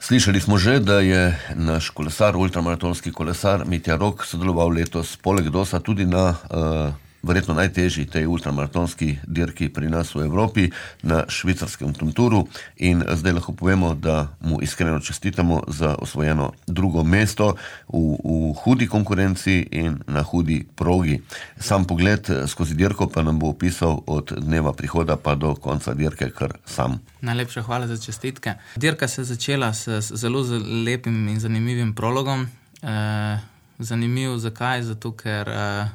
Slišali smo že, da je naš kolesar, ultramaratonski kolesar Mitja Rok sodeloval letos poleg DOS-a tudi na verjetno najtežji tej ultramaratonski dirki pri nas v Evropi, na švicarskem Tonturu, in zdaj lahko povemo, da mu iskreno čestitamo za osvojeno drugo mesto v hudi konkurenci in na hudi progi. Sam pogled skozi dirko pa nam bo opisal od dneva prihoda pa do konca dirke kar sam. Najlepša hvala za čestitke. Dirka se je začela s zelo lepim in zanimivim prologom. Zanimiv, zakaj? Zato, ker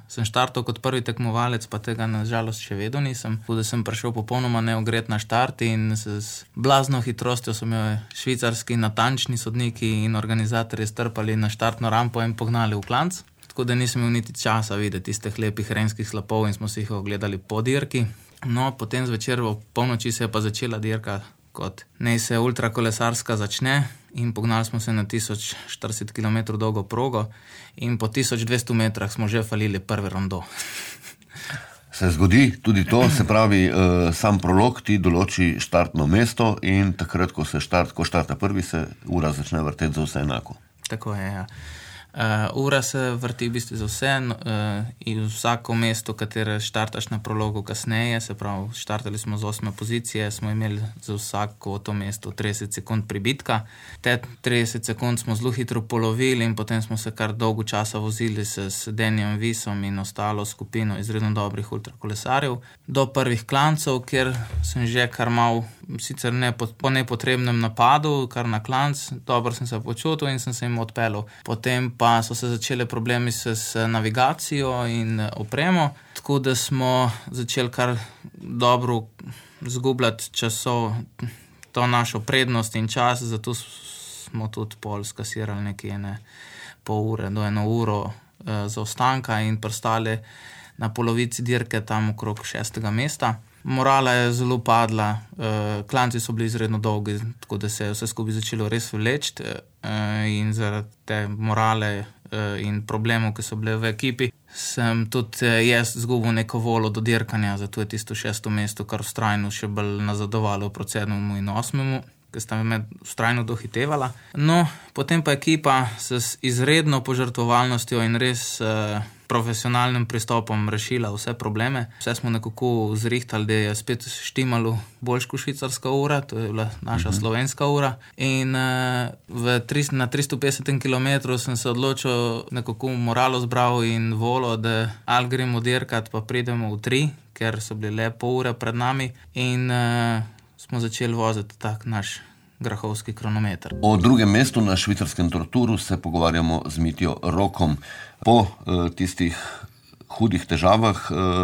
sem štartal kot prvi tekmovalec, pa tega nažalost še vedno nisem. Tako da sem prišel popolnoma neogret na štart in s blazno hitrostjo so me švicarski natančni sodniki in organizatorji strpali na štartno rampo in pognali v klanc. Tako da nisem imel niti časa videti tistih lepih renskih slapov in smo si jih ogledali po dirki. No, potem zvečer v polnoči se je pa začela dirka, kot naj se ultrakolesarska začne, in pognali smo se na 1040 km dolgo progo in po 1200 metrah smo že falili prvi rondo. Se zgodi tudi to, se pravi, sam prolog ti določi štartno mesto in takrat, ko štarta prvi, se ura začne vrteti za vse enako. Tako je, ja. Ura se vrti v bistvu za vse in vsako mesto, katere štartaš na prologu kasneje, se pravi, štartali smo z 8. pozicije, smo imeli za vsako to mesto 30 sekund pribitka. Te 30 sekund smo zelo hitro polovili in potem smo se kar dolgo časa vozili s Denijem Visom in ostalo skupino izredno dobrih ultrakolesarjev do prvih klancov, kjer sem že kar mal, sicer po nepotrebnem napadu, kar na klanc, dobro sem se počutil in sem se jim odpeljal. Potem pa so se začele problemi s navigacijo in opremo, tako da smo začeli kar dobro zgubljati to našo prednost in čas, zato smo tudi pol skasirali nekje pol ure do 1 uro zaostanka in pristali na polovici dirke tam okrog 6. mesta. Morala je zelo padla, klanci so bili izredno dolgi, tako da se je vse skupaj začelo res vleči in zaradi te morale in problemov, ki so bile v ekipi, sem tudi jaz izgubil neko voljo do dirkanja, zato je tisto 6. mesto kar vztrajno še bolj nazadovalo proti 7. in 8., ki sta me vztrajno dohitevala. No, potem pa ekipa s izredno požrtvovalnostjo in res profesionalnim pristopom rešila vse probleme. Vse smo nekako zrihtali, da je spet štimalo boljš kot švicarska ura, to je bila naša slovenska ura. In na 350 km sem se odločil, nekako moralo zbral in voljo, da ali gremo dirkat, pa pridemo v 3, ker so bili le pol ure pred nami in smo začeli voziti tak naš grahovski kronometer. O drugem mestu na švicarskem Tonturu se pogovarjamo z Mitjo Rokom. Po tistih hudih težavah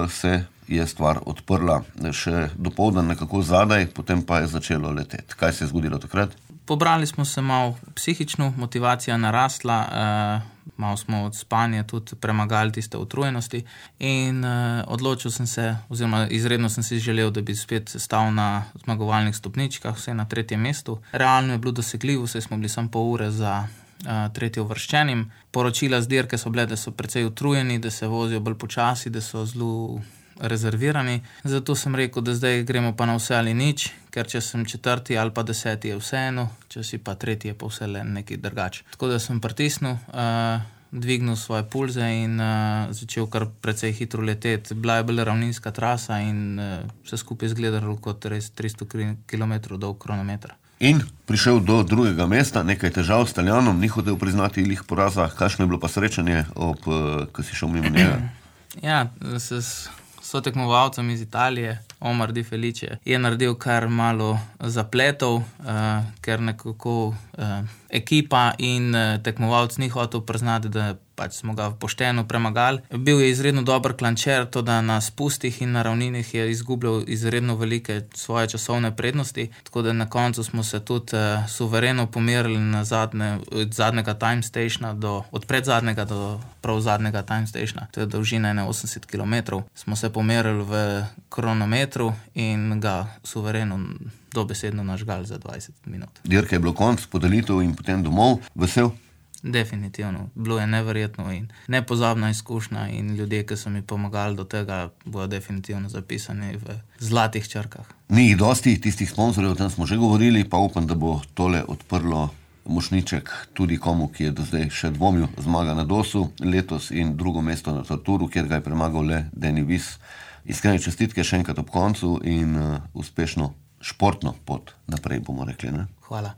se je stvar odprla. Še dopoldan nekako zadaj, potem pa je začelo leteti. Kaj se je zgodilo takrat? Pobrali smo se malo psihično, motivacija narasla, malo smo od spanja tudi premagali tiste utrujenosti in odločil sem se, oziroma izredno sem si želel, da bi spet stal na zmagovalnih stopničkah, vse na 3. mestu. Realno je bilo dosegljivo, saj smo bili samo pol ure za 3. uvrščenim. Poročila z dirke so bile, da so precej utrujeni, da se vozijo bolj počasi, da so zelo rezervirani. Zato sem rekel, da zdaj gremo pa na vse ali nič, ker če sem 4. ali pa 10. je vseeno, če si pa 3. je pa vse le nekaj drugače. Tako da sem pritisnil, dvignil svoje pulze in začel kar precej hitro leteti. Bila je bolj ravninska trasa in vse skupaj izgledalo kot res 300 km dolg kronometer. In prišel do drugega mesta, nekaj težav s Taljanom, ni hotel priznati lih poraza. Kakšno je bilo pa srečanje, ko si šel mimo njega? Ja, sotekmovalcem iz Italije, Omar Di Felice, je naredil kar malo zapletov, ker nekako ekipa in tekmovalc ni hotel priznati, da pač smo ga pošteno premagali. Bil je izredno dober klančer, to da na spustih in na ravninih je izgubljal izredno velike svoje časovne prednosti, tako da na koncu smo se tudi suvereno pomerili na od zadnjega time stationa od predzadnjega do prav zadnjega time stationa. To je dolžina 80 km. Smo se pomerili v kronometru in ga suvereno dobesedno nažgali za 20 minut. Dirka je bilo konc, podelitev in potem domov. Vesel? Definitivno. Bilo je neverjetno in nepozabna izkušnja in ljudje, ki so mi pomagali do tega, bodo definitivno zapisani v zlatih črkah. Ni jih dosti, tistih sponzorjev, o tem smo že govorili, pa upam, da bo tole odprlo mošnjiček tudi komu, ki je do zdaj še dvomil, zmaga na Dosu letos in drugo mesto na Torturu, kjer ga je premagal le Deni Vis. Iskrene čestitke še enkrat ob koncu in uspešno športno pot naprej, bomo rekli, ne? Hvala.